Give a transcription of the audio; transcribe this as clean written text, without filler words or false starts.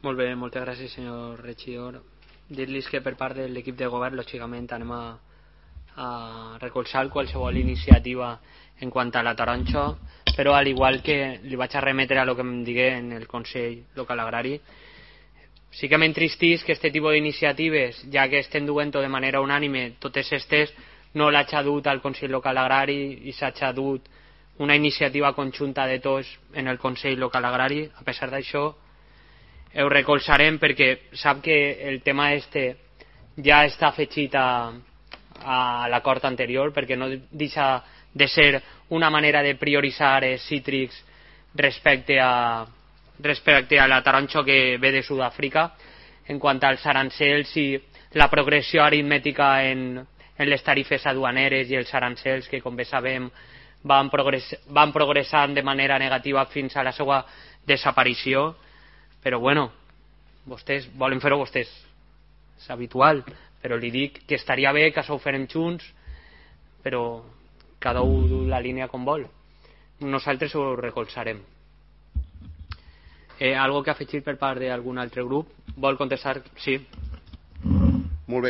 Molt bé, moltes gràcies, senyor regidor. Dir-los que per part de l'equip de govern, lògicament, anem a recolzar qualsevol iniciativa en quant a la taronja, però al igual que li vaig a remetre a lo que em digué en el Consell Local Agrari, sí que m'entristís que este tipus d'iniciatives, ja que estem duent de manera unànime totes estes, no l'haig dut al Consell Local Agrari i s'ha dut una iniciativa conjunta de tots en el Consell Local Agrari. A pesar d'això, ho recolzarem perquè sap que el tema este ja està afegit a l'acord anterior, perquè no deixa de ser una manera de prioritzar els cítrics respecte a la taronja que ve de Sud-àfrica. En quant als arancels i la progressió aritmètica en les tarifes aduaneres i els arancels, que com bé sabem van progressant de manera negativa fins a la seva desaparició, però bueno, vostès volen fer-ho vostès, és habitual, però li dic que estaria bé que això ho farem junts, però cada un du la línia com vol. Nosaltres ho recolzarem. Algo que afegir per part d'algun altre grup? Vol contestar? Sí. Molt bé.